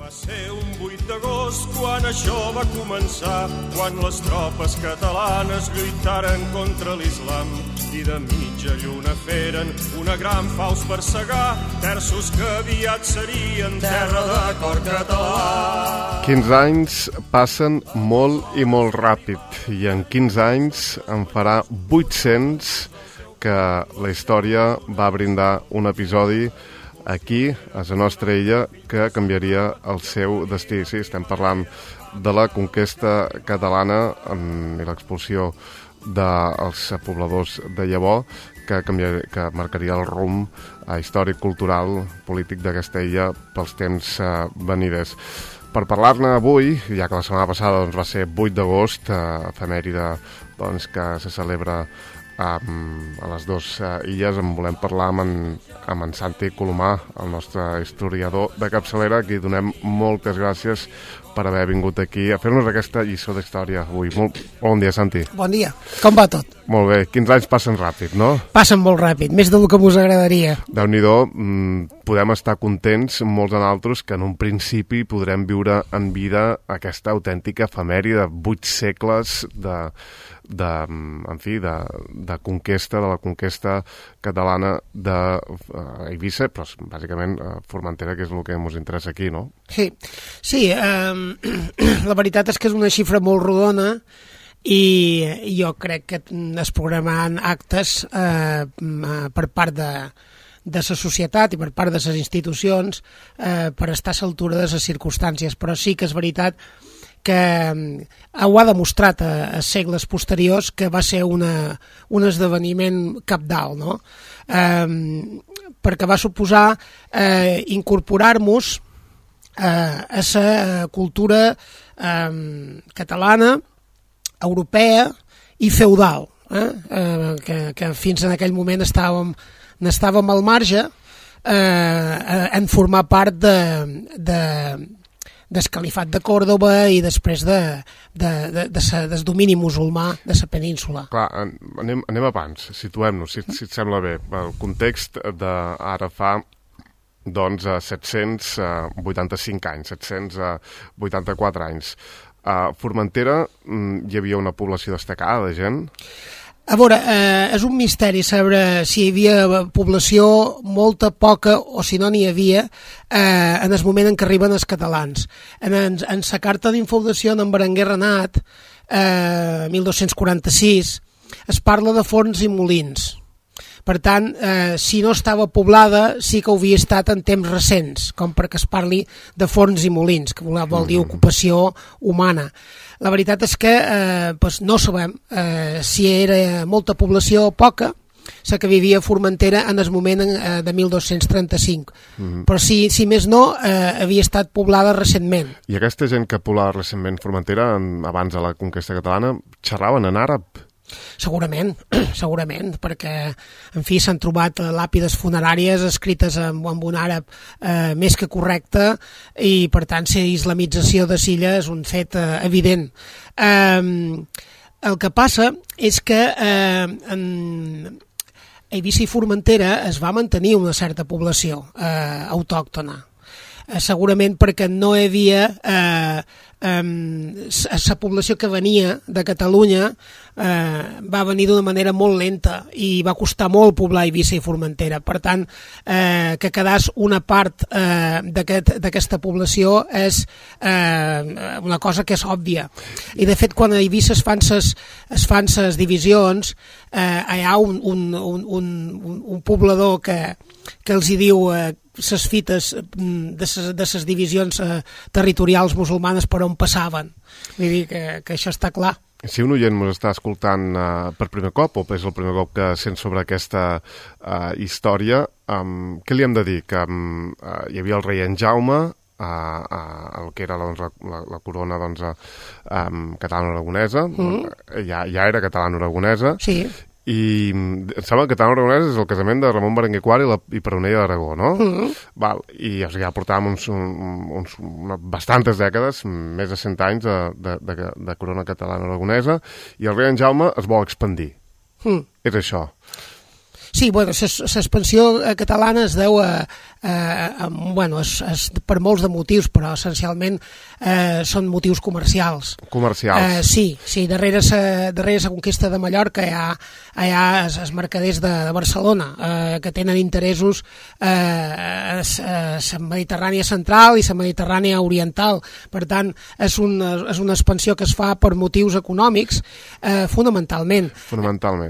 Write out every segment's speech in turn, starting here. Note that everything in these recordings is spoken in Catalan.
Va ser un 8 d'agost quan això va començar, quan les tropes catalanes lluitaren contra l'islam i de mitja lluna feren una gran faus per segar terços que aviat serien terra de cor català. 15 anys passen molt i molt ràpid i en 15 anys en farà 800 que la història va brindar un episodi aquí, a la nostra illa, que canviaria el seu destí. Sí, estem parlant de la conquesta catalana i l'expulsió dels pobladors de llavor, que marcaria el rumb històric, cultural, polític d'aquesta illa pels temps veniders. Per parlar-ne avui, ja que la setmana passada va ser 8 d'agost, efemèride que se celebra a les dues illes, en volem parlar amb en Santi Colomà, el nostre historiador de capçalera, a qui donem moltes gràcies per haver vingut aquí a fer-nos aquesta lliçó d'història avui. Bon dia, Santi. Bon dia. Com va tot? Molt bé. 15 anys passen ràpid, no? Passen molt ràpid, més del que us agradaria. Déu-n'hi-do, podem estar contents, molts de nosaltres, que en un principi podrem viure en vida aquesta autèntica efemèride de 8 segles de conquesta, de la conquesta catalana d'Eivissa, però bàsicament Formentera, que és el que ens interessa aquí, no? Sí, la veritat és que és una xifra molt rodona i jo crec que es programaran actes per part de la societat i per part de les institucions per estar a l'altura de les circumstàncies, però sí que és veritat que ho ha demostrat a segles posteriors que va ser un esdeveniment cabdal, no? Perquè va suposar incorporar-nos a la cultura catalana, europea i feudal, que fins en aquell moment n'estàvem al marge en formar part del califat de Còrdova i després del domini musulmà de la península. Clar, anem abans, situem-nos, si et sembla bé. El context d'ara fa 785 anys, 784 anys. A Formentera hi havia una població destacada de gent? A veure, és un misteri saber si hi havia població, molta, poca, o si no n'hi havia, en el moment en què arriben els catalans. En la carta d'infaudació d'en Berenguer Renat, 1246, es parla de forns i molins. Per tant, si no estava poblada, sí que ho havia estat en temps recents, com perquè es parli de forns i molins, que vol dir ocupació humana. La veritat és que no sabem si era molta població o poca, la que vivia a Formentera en el moment de 1235. Però si més no, havia estat poblada recentment. I aquesta gent que poblava recentment Formentera, abans de la conquesta catalana, xerraven en àrab? Segurament, perquè, en fi, s'han trobat làpides funeràries escrites amb un àrab més que correcte i, per tant, la islamització de Silla és un fet evident. El que passa és que en Eivissa i Formentera es va mantenir una certa població autòctona. Segurament perquè no hi havia la població que venia de Catalunya va venir d'una manera molt lenta i va costar molt poblar Eivissa i Formentera. Per tant, que quedés una part d'aquesta població és una cosa que és òbvia. I de fet, quan a Eivissa es fan ses divisions, hi ha un poblador que els hi diu les fites de les divisions territorials musulmanes per on passaven. Vull dir que això està clar. Si un oient ens està escoltant per primer cop, o és el primer cop que sent sobre aquesta història, què li hem de dir? Que hi havia el rei en Jaume, el que era la corona catalano-aragonesa, ja era catalano-aragonesa, sí. I em sembla que catalano-aragonès és el casament de Ramon Berenguer IV i Peronella d'Aragó, no? Val. I ja portàvem bastantes dècades, més de 100 anys de corona catalana-aragonesa, i el rei en Jaume es vol expandir. És això. Sí, bueno, l'expansió catalana es deu per molts de motius, però essencialment són motius comercials. Comercials. Sí, darrere la conquesta de Mallorca hi ha els mercaders de Barcelona, que tenen interessos a la Mediterrània central i la Mediterrània oriental. Per tant, és una expansió que es fa per motius econòmics, fonamentalment.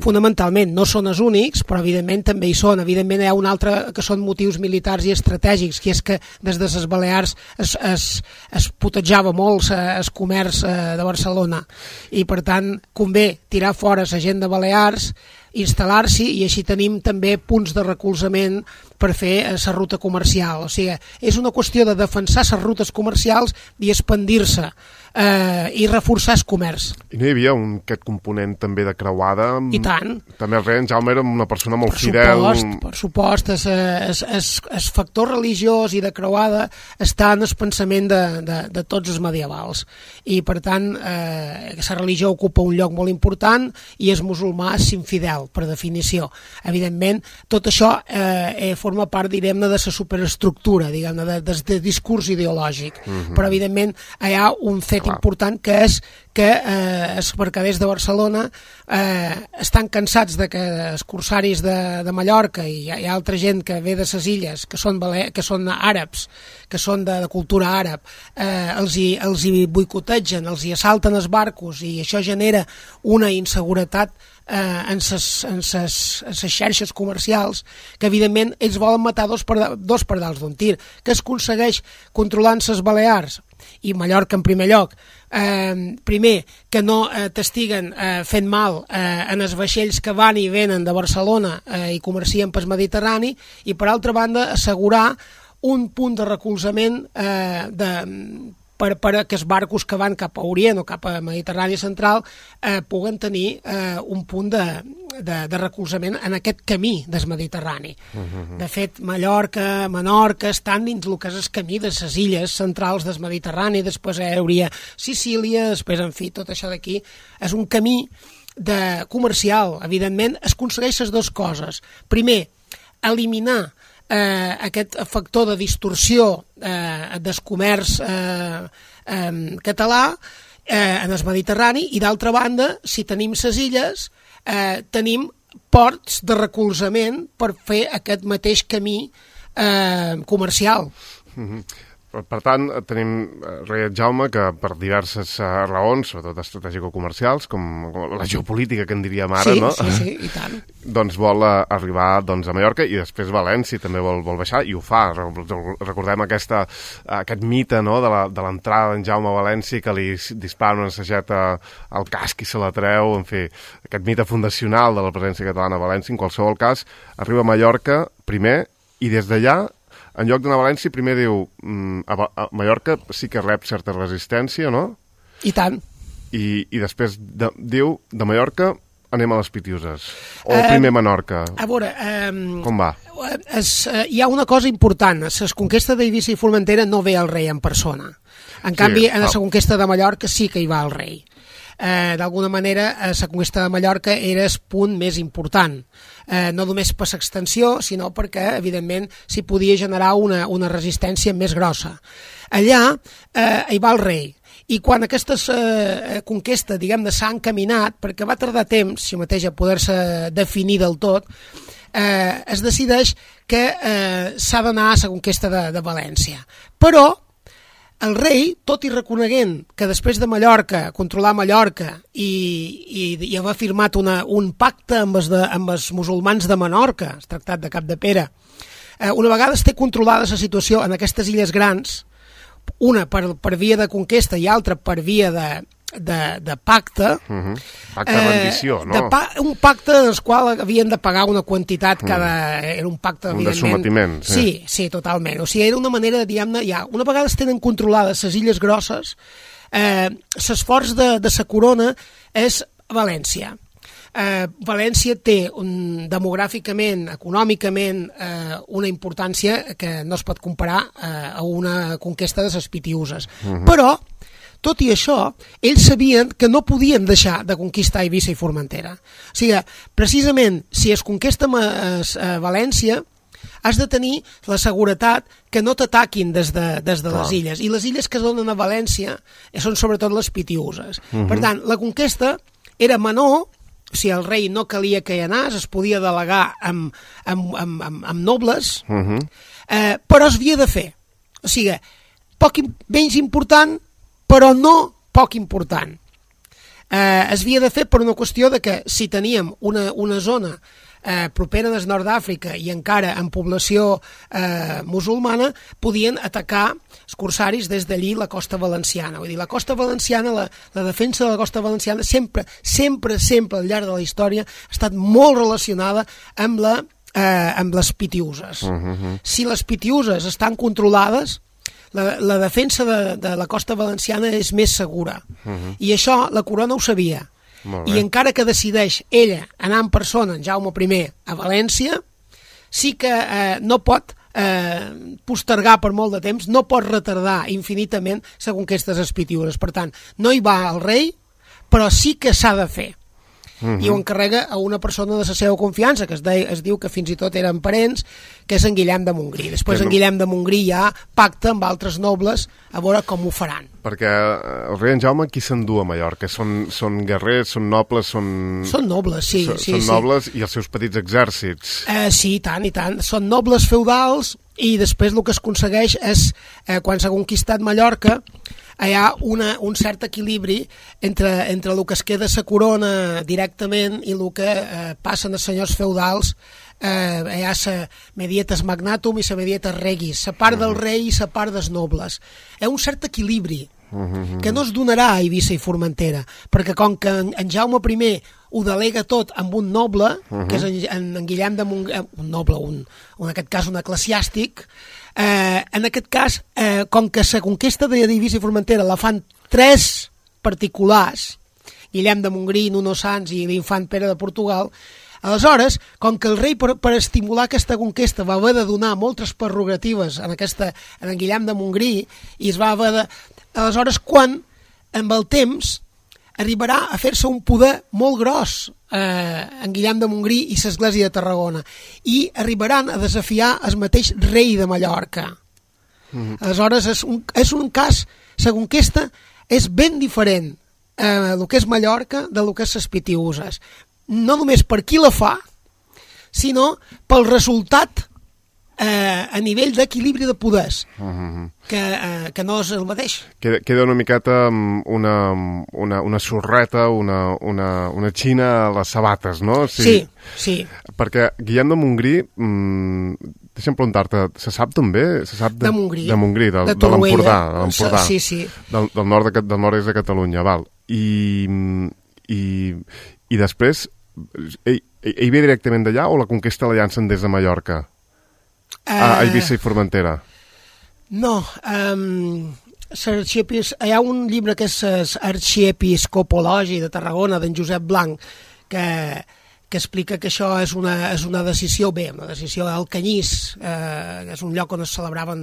Fonamentalment, no són els únics, però evidentment també hi són. Evidentment hi ha un altre que són motius militars i estratègics, que és que des de les Balears es putejava molt el comerç de Barcelona i per tant convé tirar fora la gent de Balears, instal·lar-s'hi, i així tenim també punts de recolzament per fer la ruta comercial. O sigui, és una qüestió de defensar les rutes comercials i expandir-se i reforçar el comerç. I no hi havia aquest component també de creuada? I tant. També el rei en Jaume era una persona molt fidel. Per supost, el factor religiós i de creuada està en el pensament de tots els medievals. I per tant, la religió ocupa un lloc molt important i el musulmà és infidel, per definició. Evidentment, tot això forma part, direm-ne, de la superestructura, diguem-ne, del discurs ideològic. Però, evidentment, hi ha un fet important, que és que els mercaders de Barcelona estan cansats de que els corsaris de Mallorca i hi ha altra gent que ve de les illes, que són àrabs, que són de cultura àrab, els hi boicotegen, els hi assalten els barcos, i això genera una inseguretat en les xarxes comercials, que evidentment ells volen matar dos pardals d'un tir. Que es aconsegueix controlant les Balears i Mallorca en primer lloc? Primer, que no t'estiguen fent mal en els vaixells que van i venen de Barcelona i comercien pel Mediterrani, i per altra banda assegurar un punt de recolzament per que els barcos que van cap a Orient o cap a Mediterrània central puguen tenir un punt de recolzament en aquest camí del Mediterrani. De fet, Mallorca, Menorca estan dins el que és el camí de les illes centrals del Mediterrani, després hi hauria Sicília, després, en fi, tot això d'aquí és un camí comercial. Evidentment, es aconsegueix les dues coses. Primer, eliminar aquest factor de distorsió del comerç català en el Mediterrani, i d'altra banda, si tenim les illes, tenim ports de recolzament per fer aquest mateix camí comercial. Per tant, tenim rei Jaume que per diverses raons, sobretot estratègico-comercials, com la geopolítica, que en diríem ara, no? Sí, i tant. Doncs vol arribar a Mallorca, i després València també vol baixar, i ho fa. Recordem aquest mite, no?, de l'entrada d'en Jaume a València, que li dispara una sageta al casc i se la treu, en fi, aquest mite fundacional de la presència catalana a València. En qualsevol cas, arriba a Mallorca primer, i des d'allà, en lloc d'anar a València, primer diu a Mallorca sí que rep certa resistència, no? I tant. I després diu, de Mallorca anem a les Pitiuses. O primer Menorca. A veure... Com va? Hi ha una cosa important. A la conquesta d'Eivissa i Formentera no ve el rei en persona. En canvi, en la conquesta de Mallorca sí que hi va el rei. D'alguna manera, la conquesta de Mallorca era el punt més important, no només per l'extensió, sinó perquè, evidentment, s'hi podia generar una resistència més grossa. Allà hi va el rei, i quan aquesta conquesta, diguem-ne, s'ha encaminat, perquè va tardar temps, si mateix, a poder-se definir del tot, es decideix que s'ha d'anar a la conquesta de València. Però el rei, tot i reconeguent que després de Mallorca, controlar Mallorca i haver firmat un pacte amb els musulmans de Menorca, el tractat de Capdepera, una vegada es té controlada la situació en aquestes illes grans, una per via de conquesta i altra per via de pacte, pacte de rendició, no? Un pacte en el qual havien de pagar una quantitat era un pacte, un de sometiment. Sí, totalment. O sigui, era una manera, diguem-ne, una vegada es tenen controlades les illes grosses, l'esforç de la corona és València. València té demogràficament, econòmicament, una importància que no es pot comparar a una conquesta de les Pitiuses. Però tot i això, ells sabien que no podien deixar de conquistar Eivissa i Formentera. O sigui, precisament, si es conquesta València, has de tenir la seguretat que no t'ataquin des de les illes. I les illes que es donen a València són sobretot les Pitiüses. Per tant, la conquesta era menor, si el rei no calia que hi anés, es podia delegar amb nobles, però es havia de fer. O sigui, menys important, però no poc important. Es havia de fer per una qüestió de que si teníem una zona propera des nord d'Àfrica i encara en població musulmana, podien atacar els corsaris des d'allí la costa valenciana. Vull dir, la costa valenciana, la defensa de la costa valenciana sempre al llarg de la història ha estat molt relacionada amb les Pitiüses. Si les Pitiüses estan controlades, la defensa de la costa valenciana és més segura. I això la corona ho sabia. I encara que decideix ella anar en persona, en Jaume I, a València, sí que no pot postergar per molt de temps, no pot retardar infinitament la conquesta de les Pitiüses. Per tant, no hi va el rei, però sí que s'ha de fer. I ho encarrega a una persona de la seva confiança, que es diu que fins i tot eren parents, que és en Guillem de Montgrí. Després en Guillem de Montgrí ja pacta amb altres nobles a veure com ho faran. Perquè el rei en Jaume qui s'endú a Mallorca? Són guerrers, són nobles, són nobles, sí. Són nobles i els seus petits exèrcits. Sí, i tant. Són nobles feudals i després el que es aconsegueix és, quan s'ha conquistat Mallorca, hi ha un cert equilibri entre el que es queda la corona directament i el que passen els senyors feudals. Hi ha la medietas magnatum i la medietas regis, la part del rei i la part dels nobles. Hi ha un cert equilibri que no es donarà a Eivissa i Formentera, perquè com que en Jaume I ho delega tot amb un noble, que és en Guillem de Montgrí, un noble, en aquest cas un eclesiàstic, en aquest cas, com que la conquesta d'Eivissa i Formentera la fan 3 particulars, Guillem de Montgrí, Nuno Sanç i l'infant Pere de Portugal, aleshores, com que el rei per estimular aquesta conquesta va haver de donar moltes prerrogatives en Guillem de Montgrí i es va haver de... Aleshores, quan, amb el temps, arribarà a fer-se un poder molt gros en Guillem de Montgrí i l'Església de Tarragona, i arribaran a desafiar el mateix rei de Mallorca. Aleshores, és un cas, la conquesta és ben diferent el que és Mallorca de lo que és les Pitiüses. No només per qui la fa, sinó pel resultat a nivell d'equilibri de poders, que no és el mateix. Queda una miqueta una sorreta, una xina a les sabates, no? Sí. Perquè Guillem de Montgrí, deixa'm preguntar-te, se sap també? De Montgrí. De Montgrí, de l'Empordà. Sí. Del nord-est de Catalunya, val. I després, ell ve directament d'allà o la conquesta la llancen des de Mallorca? A Eivissa i Formentera? No, hi ha un llibre que és Arxiepiscopologi de Tarragona, d'en Josep Blanc, que explica que això és una decisió del Canyís, que és un lloc on es celebraven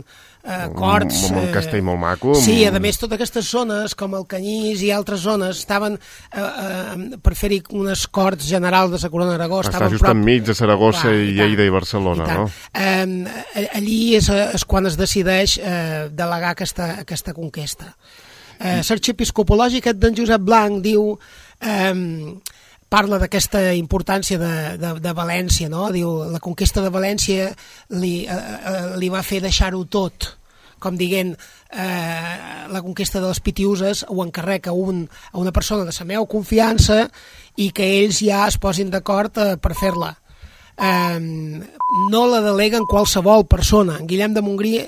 corts. Un castell molt maco. Sí, a més, totes aquestes zones, com el Canyís i altres zones, estaven per fer-hi unes corts generals de la Corona d'Aragó. Està just enmig de Saragossa i Lleida i Barcelona, no? Allí és quan es decideix delegar aquesta conquesta. L'arxiepiscopologi aquest d'en Josep Blanc diu... parla d'aquesta importància de València, no? Diu, la conquesta de València li va fer deixar-ho tot, com dient, la conquesta de les Pitiüses ho encarrega a una persona de la meva confiança i que ells ja es posin d'acord per fer-la. No la deleguen qualsevol persona. En Guillem de Montgrí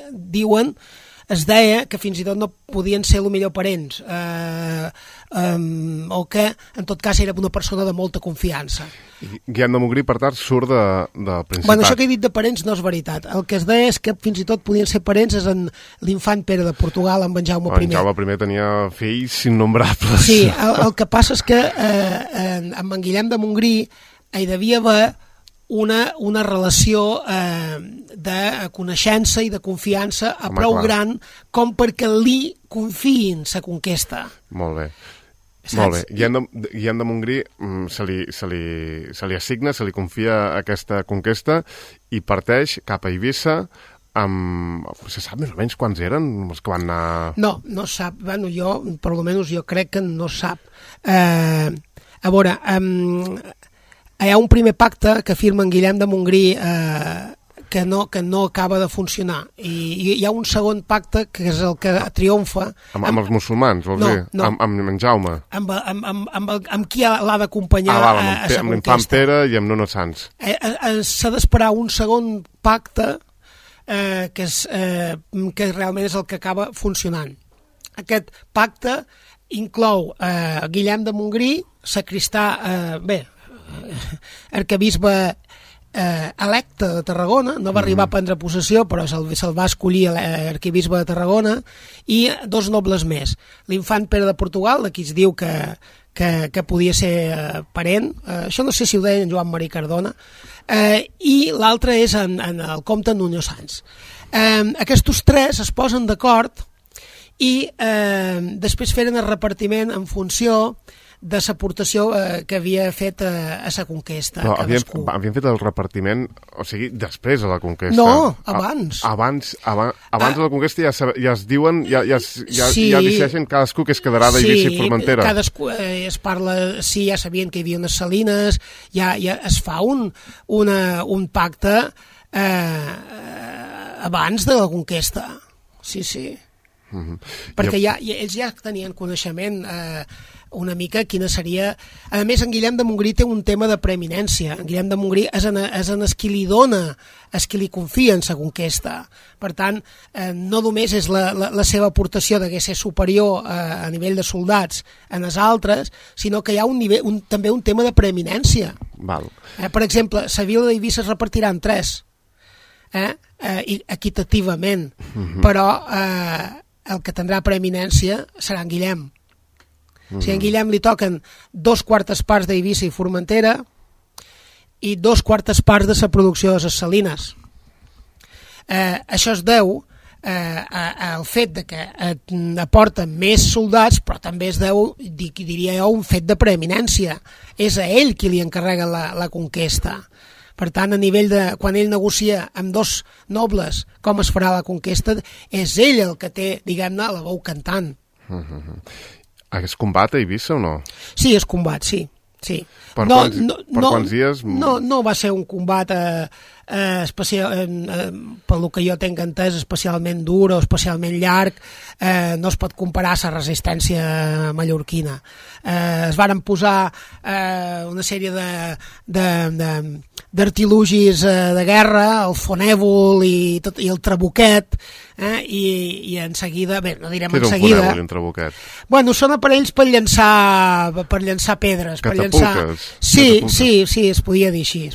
es deia que fins i tot no podien ser el millor parents, o que en tot cas era una persona de molta confiança. Guillem de Montgrí, per tant, surt del Principat. Bueno, això que he dit de parents no és veritat. El que es deia és que fins i tot podien ser parents és en l'infant Pere de Portugal, amb en Jaume I. En Jaume I tenia fills innombrables. Sí, el que passa és que amb en Guillem de Montgrí hi devia haver una relació de coneixença i de confiança a prou gran com perquè li confiïn la conquesta. Molt bé. Molt bé. Guillem de Montgrí se li assigna, se li confia aquesta conquesta i parteix cap a Eivissa se sap més o menys quants eren els que van anar... No sap. Bueno, per almenys jo crec que no sap. A veure, hi ha un primer pacte que firma en Guillem de Montgrí que no acaba de funcionar. I hi ha un segon pacte que és el que triomfa... Amb els musulmans, vols dir? No. Amb en Jaume? Amb qui l'ha d'acompanyar a la conquesta. Amb l'infant Pere i amb Nuno Sanç. S'ha d'esperar un segon pacte que realment és el que acaba funcionant. Aquest pacte inclou Guillem de Montgrí, sacristà, arquebisbe electe de Tarragona, no va arribar a prendre possessió, però se'l va escollir arquebisbe de Tarragona, i 2 nobles més. L'infant Pere de Portugal, de qui es diu que podia ser parent, això no sé si ho deia en Joan Marí Cardona, i l'altre és en el comte Nuno Sanç. Aquests 3 es posen d'acord i després feren el repartiment en funció de l'aportació que havia fet a la conquesta. Però havien fet el repartiment, o sigui, després de la conquesta. No, abans. Abans de la conquesta ja es diuen, ja decideixen cadascú que es quedarà d'Eivissa i Formentera. Sí, cadascú es parla, sí, ja sabien que hi havia unes salines, ja es fa un pacte abans de la conquesta. Sí. Perquè ells ja tenien coneixement una mica quina seria... A més, en Guillem de Montgrí té un tema de preeminència. En Guillem de Montgrí és en el qui li dona, és qui li confia en la conquesta. Per tant, no només és la seva aportació de ser superior a nivell de soldats en els altres, sinó que hi ha també un tema de preeminència. Val. Per exemple, la vila d'Eivissa es repartirà en 3, equitativament, però el que tindrà preeminència serà en Guillem. O sigui, a en Guillem li toquen 2/4 parts d'Eivissa i Formentera i 2/4 parts de la producció de les salines. Això es deu al fet de que aporten més soldats, però també es deu, diria jo, un fet de preeminència. És a ell qui li encarrega la conquesta. Per tant, a nivell de... Quan ell negocia amb 2 nobles com es farà la conquesta, és ell el que té, diguem-ne, la veu cantant. Es combat a Eivissa o no? Sí, es combat, sí. Per quants dies? No va ser un combat pel que jo tinc entès especialment dur o especialment llarg. No es pot comparar a la resistència mallorquina. Es varen posar una sèrie d'artilugis de guerra, el fonèvol i el trabuquet, i en seguida, bé, no direm en seguida... Què era un fonèvol i un trabuquet? Bueno, són aparells per llançar pedres. Catapultes? Sí, es podia dir així.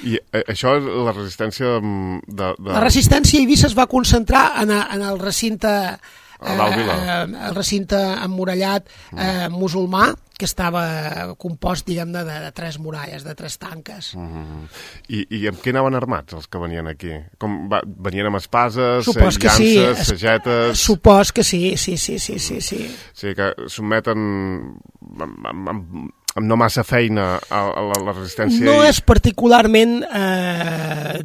I això és la resistència La resistència a Eivissa es va concentrar en el recinte... el recinte emmurallat musulmà, que estava compost, diguem-ne, de 3 muralles, de 3 tanques. I amb què anaven armats els que venien aquí? Venien amb espases, llances, sagetes... Supos que sí. O sigui que sotmeten amb no massa feina a la resistència... No és particularment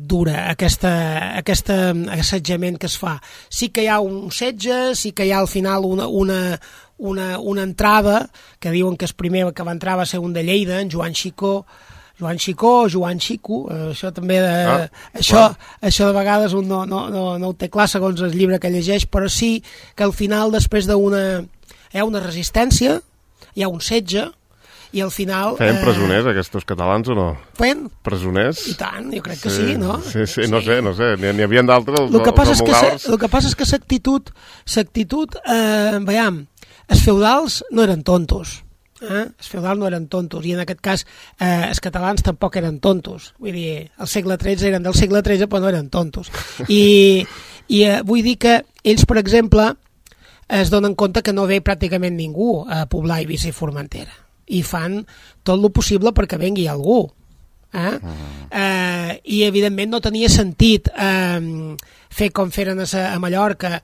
dura aquest assetjament que es fa. Sí que hi ha un setge, sí que hi ha al final una entrada, que diuen que el primer que va entrar va ser un de Lleida, en Joan Xicó, això també això de vegades un no ho té clar segons el llibre que llegeix, però sí que al final, després hi ha una resistència, hi ha un setge, i al final... Feien presoners aquests catalans o no? Feien? Presoners? I tant, jo crec que sí, no? Sí, no sé, n'hi havia d'altres, el que passa és que l'actitud, veiem, els feudals no eren tontos, els feudals no eren tontos, i en aquest cas els catalans tampoc eren tontos, vull dir, al segle XIII eren del segle XIII però no eren tontos, i vull dir que ells, per exemple, es donen compte que no ve pràcticament ningú a poblar Eivissa i Formentera, i fan tot el possible perquè vengui algú. I evidentment no tenia sentit fer com feren a Mallorca,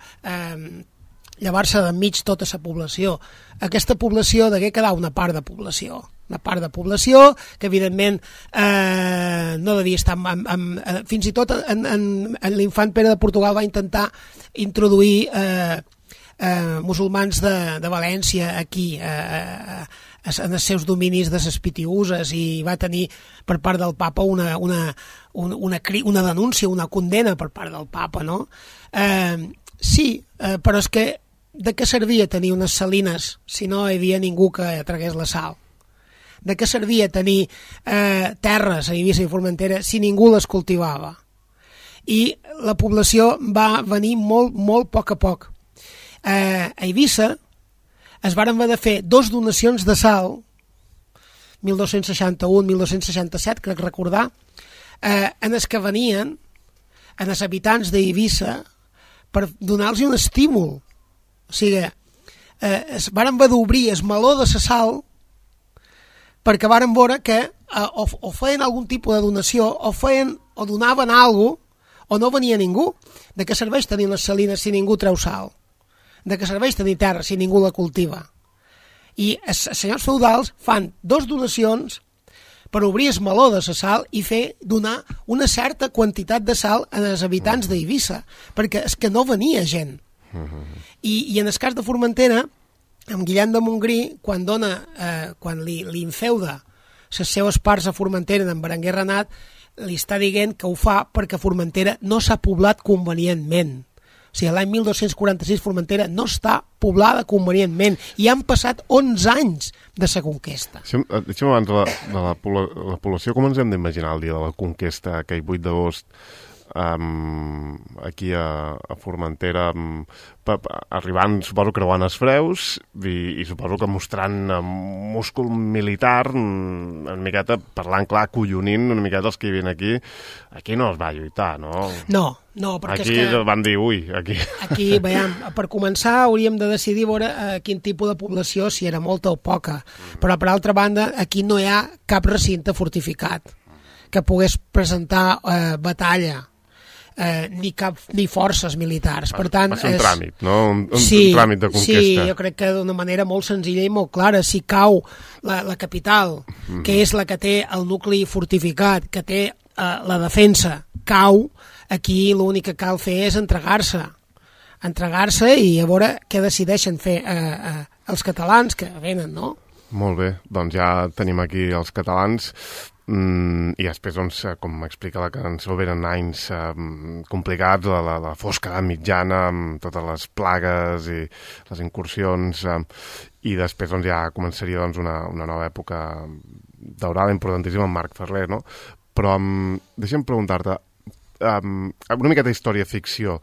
llevar-se d'enmig tota la població. Aquesta població degué quedar una part de població que evidentment no devia estar fins i tot en l'infant Pere de Portugal va intentar introduir musulmans de València aquí en els seus dominis de les Pitiüses, i va tenir per part del papa una denúncia, una condena per part del papa, no? Sí, però és que de què servia tenir unes salines si no hi havia ningú que tragués la sal? De què servia tenir terres a Eivissa i Formentera si ningú les cultivava? I la població va venir molt, molt a poc. A Eivissa es varen haver de fer 2 donacions de sal, 1261-1267, crec recordar, en els que venien en els habitants d'Eivissa per donar-los un estímul. O sigui, es varen haver d'obrir el meló de la sal perquè varen veure que o feien algun tipus de donació o donaven alguna cosa o no venia ningú. De què serveix tenir les salines si ningú treu sal? De què serveix tenir terra si ningú la cultiva? I els senyors feudals fan 2 donacions per obrir el meló de la sal i donar una certa quantitat de sal als habitants d'Eivissa, perquè és que no venia gent. I en el cas de Formentera, amb Guillem de Montgrí, quan li infeuda les seves parts a Formentera en Berenguer Renat, li està dient que ho fa perquè Formentera no s'ha poblat convenientment. O sigui, l'any 1246 Formentera no està poblada convenientment i han passat 11 anys de la conquesta. Deixa'm abans de la població, com ens hem d'imaginar el dia de la conquesta, aquell 8 d'agost, aquí a Formentera, arribant, suposo, creuant els freus i suposo que mostrant múscul militar, una miqueta, parlant clar, collonint una miqueta els que hi havien aquí no es va lluitar, no? No, perquè aquí és que... van dir, ui, aquí... Aquí, veiem, per començar hauríem de decidir veure quin tipus de població, si era molta o poca, però per altra banda aquí no hi ha cap recinte fortificat que pogués presentar batalla, ni forces militars. Per tant, va ser un tràmit, no? Un tràmit de conquesta. Sí, jo crec que d'una manera molt senzilla i molt clara. Si cau la capital, que és la que té el nucli fortificat, que té la defensa, cau, aquí l'únic que cal fer és entregar-se i a veure què decideixen fer els catalans que venen, no? Molt bé, doncs ja tenim aquí els catalans. I després, doncs, com explica la cançó, venen anys complicats, la fosca mitjana, amb totes les plagues i les incursions, i després doncs, ja començaria doncs, una nova època daurada, importantíssima, amb Marc Ferrer, no? Però deixa'm preguntar-te, una miqueta història-ficció,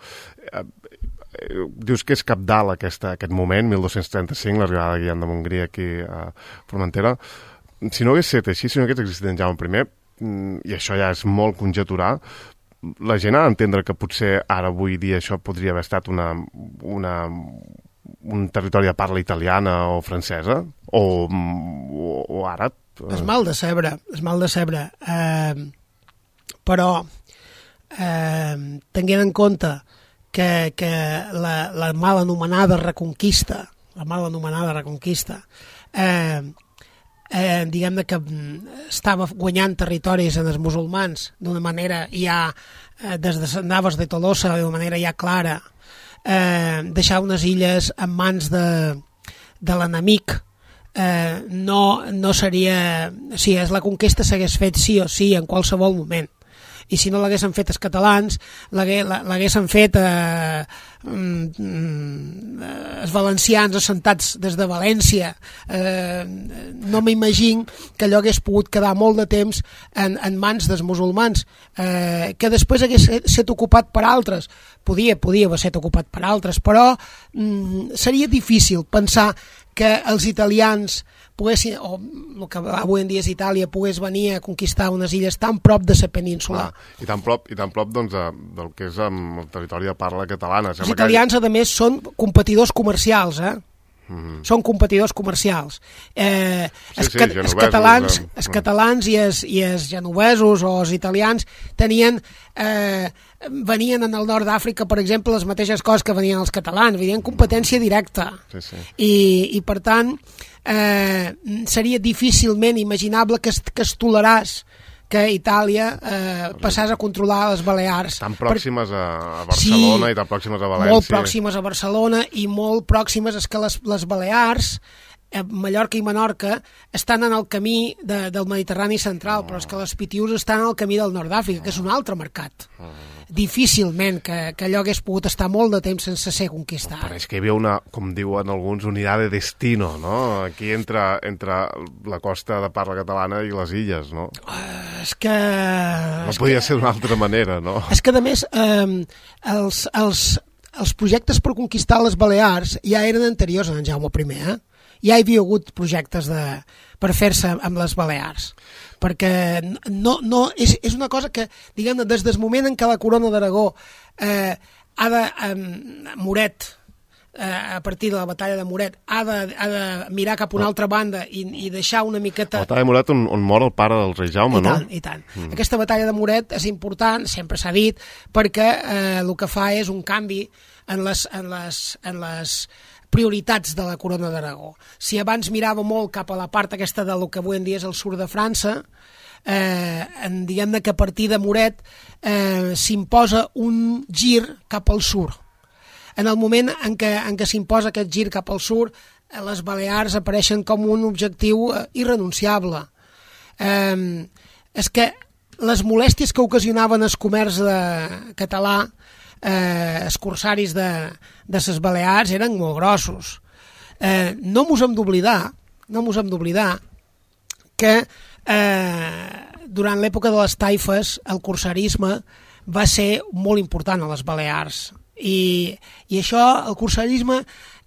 dius que és cabdal aquest moment, 1235, l'arribada de Guillem de Montgrí aquí a Formentera. Si no hagués estat així, si no hagués existit en Jaume I, i això ja és molt conjecturar, la gent ha d'entendre que potser ara, avui dia, això podria haver estat un territori de parla italiana o francesa, o àrab. És mal de cebre. Però, tenint en compte que la mal anomenada Reconquista, diguem-ne que estava guanyant territoris en els musulmans d'una manera ja des de Navas de Tolosa d'una manera ja clara, deixar unes illes en mans de l'enemic no seria, si és la conquesta s'hagués fet sí o sí en qualsevol moment, i si no l'haguessin fet els catalans, l'haguessin fet els valencians assentats des de València. No m'imagino que allò hagués pogut quedar molt de temps en mans dels musulmans, que després hagués estat ocupat per altres. Podia haver estat ocupat per altres, però seria difícil pensar que els italians poguessin, o el que avui en dia és Itàlia, pogués venir a conquistar unes illes tan prop de la península. I tan prop doncs, del que és el territori de parla catalana. Els italians, a més, són competidors comercials, Són competidors comercials. Els catalans i els genovesos o els italians venien en el nord d'Àfrica, per exemple, les mateixes coses que venien els catalans, venien competència directa. I per tant, seria difícilment imaginable que es toleràs que Itàlia passàs a controlar les Balears. Tan pròximes a Barcelona i tan pròximes a València. Molt pròximes a Barcelona i molt pròximes és que les Balears, Mallorca i Menorca, estan en el camí del Mediterrani central, però és que les Pitiüs estan en el camí del nord d'Àfrica, que és un altre mercat. Difícilment que allò hagués pogut estar molt de temps sense ser conquistat. Pareix que hi havia una, com diuen alguns, unitat de destino, no? Aquí entre la costa de parla catalana i les illes, no? És que... No podia ser d'una altra manera, no? És que, a més, els projectes per conquistar les Balears ja eren anteriors a en Jaume I, Ja hi havia hagut projectes per fer-se amb les Balears, perquè és una cosa que, diguem-ne, des del moment en què la corona d'Aragó Moret, a partir de la batalla de Moret, ha de mirar cap a una altra banda i deixar una miqueta... La batalla de Moret on mor el pare del rei Jaume, no? I tant. Aquesta batalla de Moret és important, sempre s'ha dit, perquè el que fa és un canvi en les prioritats de la corona d'Aragó. Si abans mirava molt cap a la part aquesta del que avui en dia és el sud de França, diguem-ne que a partir de Moret s'imposa un gir cap al sud. En el moment en què s'imposa aquest gir cap al sud, les Balears apareixen com un objectiu irrenunciable. És que les molèsties que ocasionaven el comerç català, els corsaris de les Balears eren molt grossos. No mos hem d'oblidar que durant l'època de les taifes el corsarisme va ser molt important a les Balears i això, el corsarisme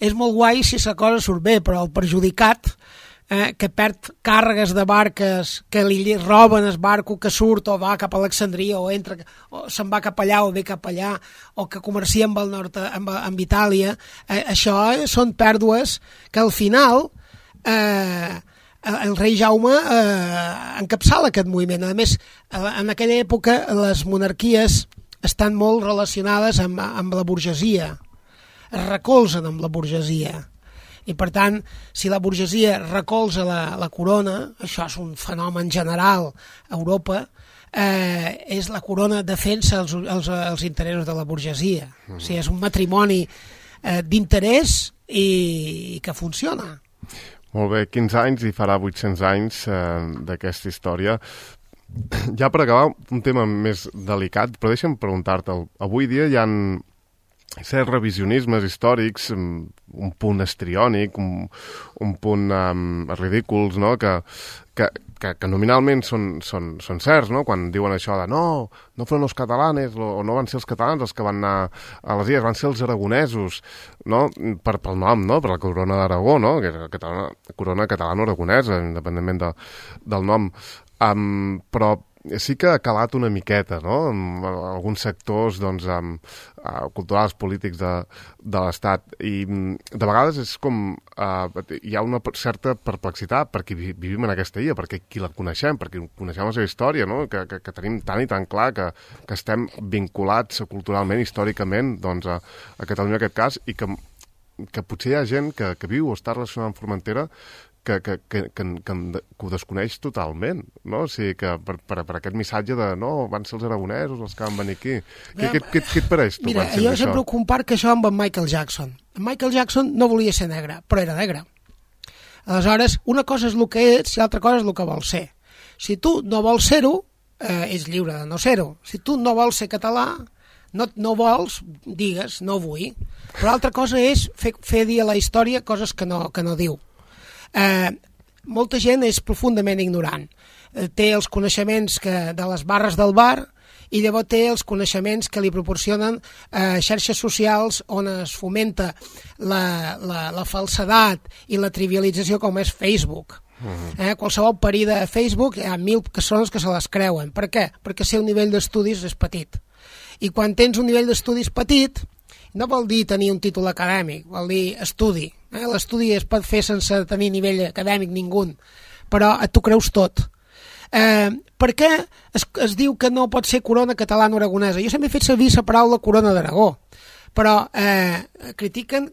és molt guai si la cosa surt bé, però el perjudicat que perd càrregues de barques, que li roben el barco que surt o va cap a Alexandria o se'n va cap allà o ve cap allà, o que comercia amb el nord, amb Itàlia, això són pèrdues que al final el rei Jaume encapçala aquest moviment. A més, en aquella època les monarquies estan molt relacionades amb la burgesia, es recolzen amb la burgesia. I per tant, si la burgesia recolza la corona, això és un fenomen general a Europa, és la corona defensa els interessos de la burgesia. O sigui, és un matrimoni d'interès i que funciona. Molt bé, 15 anys i farà 800 anys d'aquesta història. Ja per acabar, un tema més delicat, però deixa'm preguntar-te, avui dia hi ha certs revisionismes històrics, un punt estriònic, un punt ridículs, no? que nominalment són certs, no? Quan diuen això de no foren els catalanes o no van ser els catalans els que van anar a les illes, van ser els aragonesos, no? Pel nom, no? Per la corona d'Aragó, no? Que és la corona catalano-aragonesa, independentment del nom. Però sí que ha calat una miqueta, no? En alguns sectors culturals, polítics de l'Estat. I de vegades és com... hi ha una certa perplexitat perquè vivim en aquesta illa, perquè qui la coneixem, perquè coneixem la seva història, no? Que tenim tant i tan clar que estem vinculats culturalment, històricament, a Catalunya en aquest cas, i que potser hi ha gent que viu o està relacionada amb Formentera que ho desconeix totalment, no? O sigui, que per aquest missatge de no, van ser els aragonesos els que van venir aquí. Què et pareix tu? Mira, jo sempre ho comparo que això amb en Michael Jackson. En Michael Jackson no volia ser negre, però era negre. Aleshores, una cosa és el que ets i l'altra cosa és el que vols ser. Si tu no vols ser-ho, ets lliure de no ser-ho. Si tu no vols ser català, no vols, digues, no vull. Però l'altra cosa és fer dir a la història coses que no diu. Molta gent és profundament ignorant, té els coneixements de les barres del bar i llavors té els coneixements que li proporcionen xarxes socials on es fomenta la falsedat i la trivialització, com és Facebook. Qualsevol parí de Facebook hi ha 1.000 persones que se les creuen. Per què? Perquè el seu nivell d'estudis és petit, i quan tens un nivell d'estudis petit no vol dir tenir un títol acadèmic, vol dir estudi. L'estudi es pot fer sense tenir nivell acadèmic ningú, però tu creus tot. Per què es diu que no pot ser corona catalano-aragonesa? Jo sempre he fet servir la paraula corona d'Aragó, però critiquen,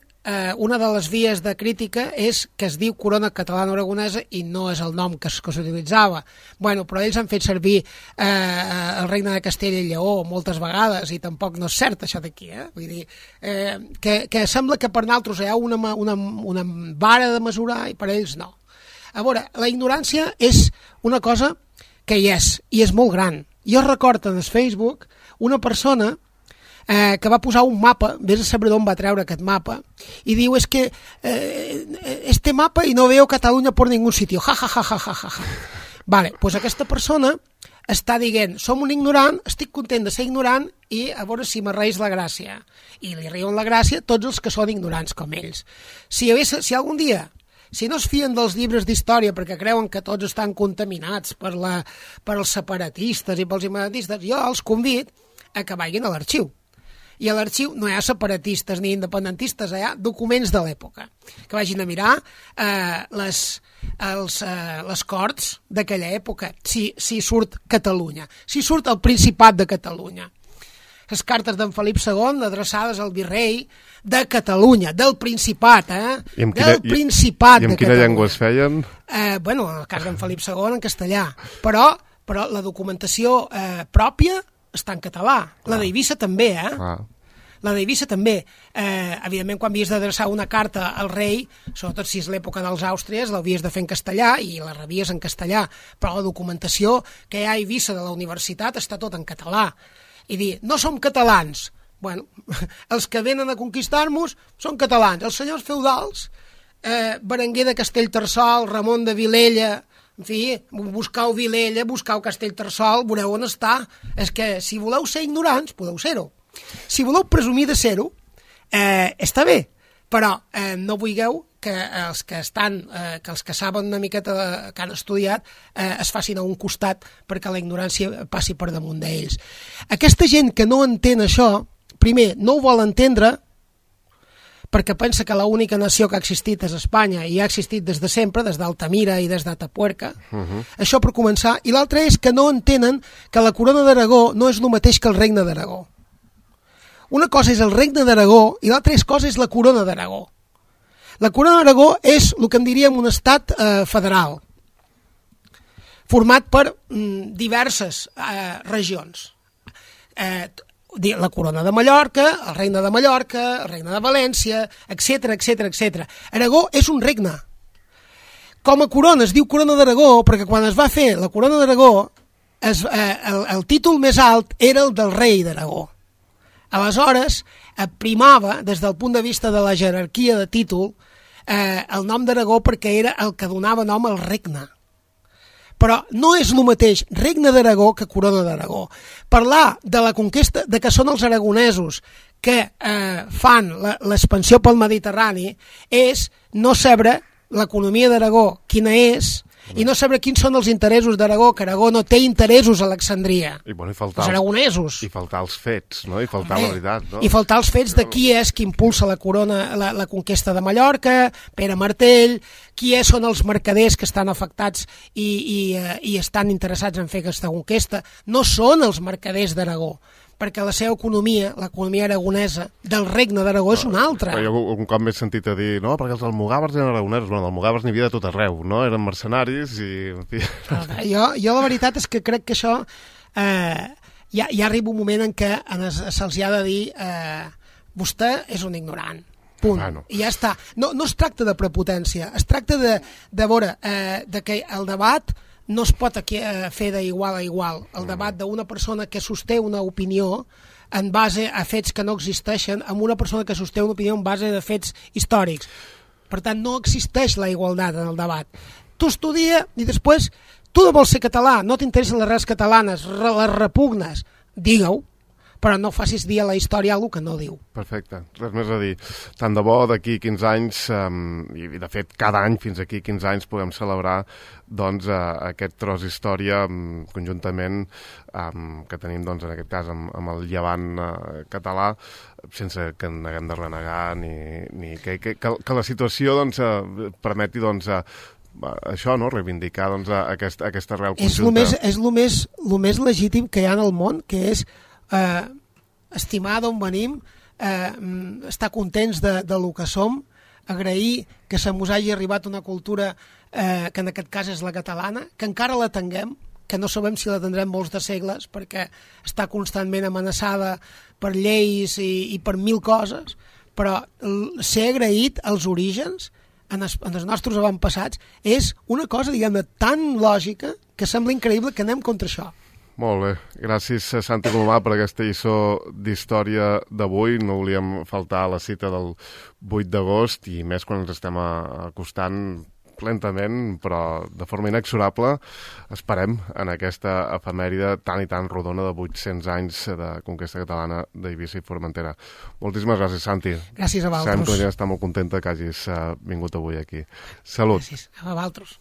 una de les vies de crítica és que es diu corona catalano-aragonesa i no és el nom que s'utilitzava. Bueno, però ells han fet servir el regne de Castella i Lleó moltes vegades i tampoc no és cert això d'aquí. Vull dir, que sembla que per nosaltres hi ha una vara de mesurar i per ells no. A veure, la ignorància és una cosa que hi és, i és molt gran. Jo recordo en el Facebook una persona que va posar un mapa, vés a saber d'on va treure aquest mapa, i diu, és que este mapa i no veo Catalunya por ningún sitio, ja, ja, ja, ja, ja, ja. Vale, doncs aquesta persona està dient, som un ignorant, estic content de ser ignorant i a veure si m'arreis la gràcia. I li riuen la gràcia tots els que són ignorants com ells. Si algun dia, si no es fien dels llibres d'història perquè creuen que tots estan contaminats per els separatistes i pels independentistes, jo els convido a que vagin a l'arxiu. I a l'arxiu no hi ha separatistes ni independentistes, hi ha documents de l'època, que vagin a mirar les corts d'aquella època, si surt Catalunya, si surt el Principat de Catalunya. Les cartes d'en Felip II adreçades al virrei de Catalunya, del Principat, del Principat de Catalunya. I en quina llengua es feien? Bueno, el cas d'en Felip II en castellà, però la documentació pròpia està en català. La d'Eivissa també, La d'Eivissa també. Evidentment, quan havies d'adreçar una carta al rei, sobretot si és l'època dels Àustries, l'havies de fer en castellà i la rebies en castellà, però la documentació que hi ha a Eivissa de la universitat està tot en català. I dir, no som catalans. Bueno, els que venen a conquistar-nos són catalans. Els senyors feudals, Berenguer de Castellterçol, Ramon de Vilella, en fi, buscau Vilella, buscau Castellterçol, veureu on està. És que si voleu ser ignorants, podeu ser-ho. Si voleu presumir de ser-ho, està bé, però no vulgueu que els que saben una miqueta que han estudiat es facin a un costat perquè la ignorància passi per damunt d'ells. Aquesta gent que no entén això, primer, no ho vol entendre perquè pensa que l'única nació que ha existit és Espanya i ha existit des de sempre, des d'Altamira i des d'Atapuerca. Això per començar. I l'altre és que no entenen que la corona d'Aragó no és el mateix que el regne d'Aragó. Una cosa és el regne d'Aragó i l'altra cosa és la corona d'Aragó. La corona d'Aragó és el que en diríem un estat federal, format per diverses regions. La corona de Mallorca, el regne de Mallorca, el regne de València, etc, etc, etc. Aragó és un regne. Com a corona es diu corona d'Aragó perquè quan es va fer la corona d'Aragó el títol més alt era el del rei d'Aragó. Aleshores, primava, des del punt de vista de la jerarquia de títol, el nom d'Aragó perquè era el que donava nom al regne. Però no és el mateix regne d'Aragó que corona d'Aragó. Parlar de la conquesta, de que són els aragonesos que fan l'expansió pel Mediterrani, és no saber l'economia d'Aragó quina és, i no saber quins són els interessos d'Aragó, que Aragó no té interessos a Alexandria. Els aragonesos. I faltar els fets, no? I faltar la veritat, no? I faltar els fets de qui és qui impulsa la corona, la conquesta de Mallorca, Pere Martell, qui són els mercaders que estan afectats i estan interessats en fer aquesta conquesta. No són els mercaders d'Aragó, perquè la seva economia, l'economia aragonesa del regne d'Aragó és una altra. Jo un cop m'he sentit a dir, no, perquè els almogàvers eren aragonesos. Bueno, els almogàvers n'hi havia de tot arreu, no? Eren mercenaris i... En fi. Jo la veritat és que crec que això ja arriba un moment en què se'ls ha de dir vostè és un ignorant. Punt. Bueno. I ja està. No es tracta de prepotència, es tracta de veure que el debat no es pot fer d'igual a igual. El debat d'una persona que sosté una opinió en base a fets que no existeixen amb una persona que sosté una opinió en base a fets històrics. Per tant, no existeix la igualtat en el debat. Tu estudia i després tu no vols ser català, no t'interessen les arrels catalanes, les repugnes, digue-ho, però no facis dir a la història alguna que no diu. Perfecte, res més a dir. Tant de bo d'aquí 15 anys, i de fet cada any fins aquí 15 anys podem celebrar doncs, aquest tros d'història conjuntament que tenim doncs, en aquest cas amb el llevant català, sense que en haguem de renegar ni que la situació doncs, permeti doncs, això, no? Reivindicar doncs, aquesta real conjunta. És el més legítim que hi ha en el món, que és estimar d'on venim, estar contents de lo que som, agrair que se mos hagi arribat una cultura que en aquest cas és la catalana, que encara la tinguem, que no sabem si la tindrem molts de segles, perquè està constantment amenaçada per lleis i per mil coses, però ser agraït als orígens, en els nostres avantpassats, és una cosa, diguem-ne, tan lògica que sembla increïble que anem contra això. Molt bé. Gràcies, Santi Colomà, per aquesta lliçó d'història d'avui. No volíem faltar a la cita del 8 d'agost i més quan ens estem acostant lentament, però de forma inexorable, esperem en aquesta efemèride tan i tan rodona de 800 anys de conquesta catalana d'Eivissa i Formentera. Moltíssimes gràcies, Santi. Gràcies a vosaltres. Sabem que la gent està molt contenta que hagis vingut avui aquí. Salut. Gràcies a vosaltres.